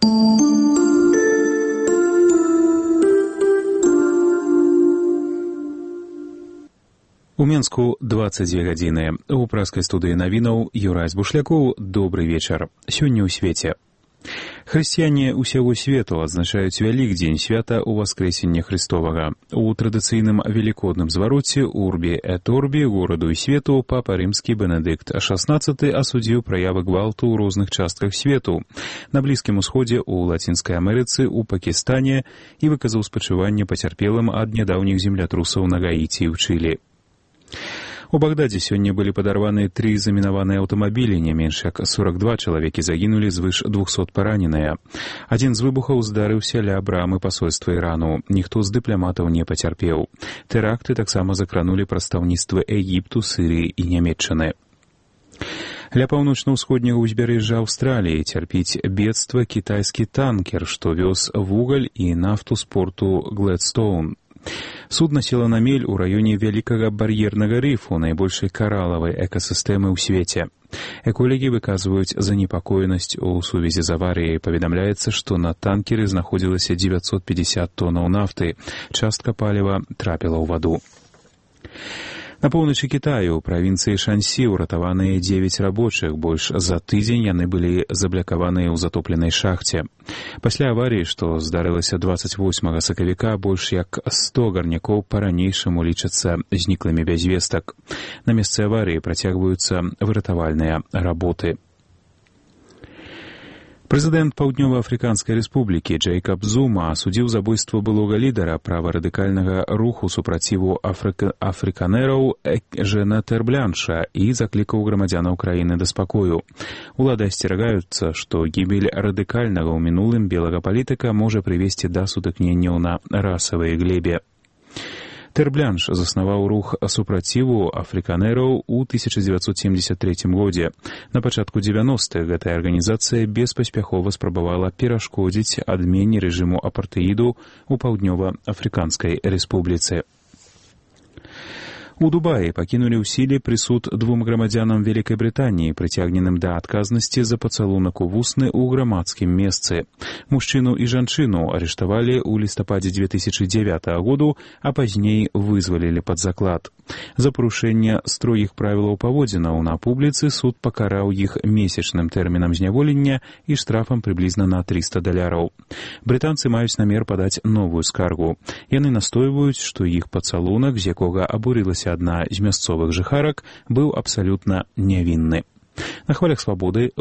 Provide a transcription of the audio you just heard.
У Менску 22 гадзіны. У праскай студыі навінаў Юрай Збушлякоў. Добры вечар. Сёння ў свеце. Хрысціяне ўсяго свету адзначаюць Вялікдзень, свята Уваскрэсення Христовага. У традыцыйным велікодным звароце Урбі эт Орбі гораду і свету папа рымскі Бенедыкт XVI асудзіў праявы гвалту ў розных частках свету. На Блізкім Усходзе, у Лацінскай Амерыцы, у Пакістане і выказаў спачуванне пацярпелым ад нядаўніх землятрусаў на Гаіці і ў Чылі. У Багдадзе сёння былі падарваны 3 замінаваныя аўтамабілі, не менш як 42 чалавекі загінулі, звыш 200 параненыя. Адзін з выбухаў здарыўся ля брамы пасольства Ірану. Ніхто з дыпламатаў не пацярпеў. Тэракты таксама закранулі прадстаўніцтвы Егіпту, Сырыі і Нямецчыны. Ля паўночна-ўсходняга ўзбярэжжа Аўстраліі цярпіць бедства кітайскі танкер, што вёз вугаль і нафту з порту Глэдстоун. Судна села на мель у раёне вялікага бар'ернага рыфу, найбольшай каралавай экасістэмы ў свеце. Эколагі выказваюць занепакоенасць у сувязі з аварыяй. Паведамляецца, што на танкеры знаходзілася 950 тонаў нафты. Частка паліва трапіла ў ваду. На поўначы Кітаю, у правінцыі Шансі, уратаваныя 9 рабочых. Больш за тыдзень яны былі заблякаваныя ў затопленай шахце. Пасля аварыі, што здарылася 28 сакавіка, больш як 100 гарнякоў па-ранейшаму лічацца зніклымі без вестак. На месцы аварыі працягваюцца выратавальныя работы. Прэзідэнт Паўднёва-Афрыканскай рэспублікі Джэйкаб Зума асудзіў забойства былога лідара праварадыкальнага руху супраціву афрыканераў Жена Тэрблянша і заклікаў грамадзянаў краіны да спакою. Улады асцерагаюцца, што гібель радыкальнага ў мінулым белага палітыка можа прывесці да сутыкненняў на расавай глебе. Тэрблянш заснаваў рух супраціву афрыканераў у 1973 годзе. На пачатку 90-х гэтая арганізацыя беспаспяхова спрабавала перашкодзіць адмене рэжыму апартэіду ў Паўднёва-Афрыканскай рэспубліцы. У Дубаі пакінулі ў сіле прысуд 2 грамадзянам Вялікай Брытаніі, прыцягненым да адказнасці за пацалунак у вусны ў грамадскім месцы. Мужчыну і жанчыну арыштавалі ў лістападзе 2009 году, а пазней вызвалілі пад заклад. За парушэнне строгіх правілаў паводзінаў на публіцы суд пакараў іх месячным тэрмінам зняволення і штрафам прыблізна на $300. Брытанцы маюць намер падаць новую скаргу. Яны настойваюць, што іх пацалунак, з якога абурылася адна з мясцовых жыхарак, быў абсалютна нявінны. На хвалях свабоды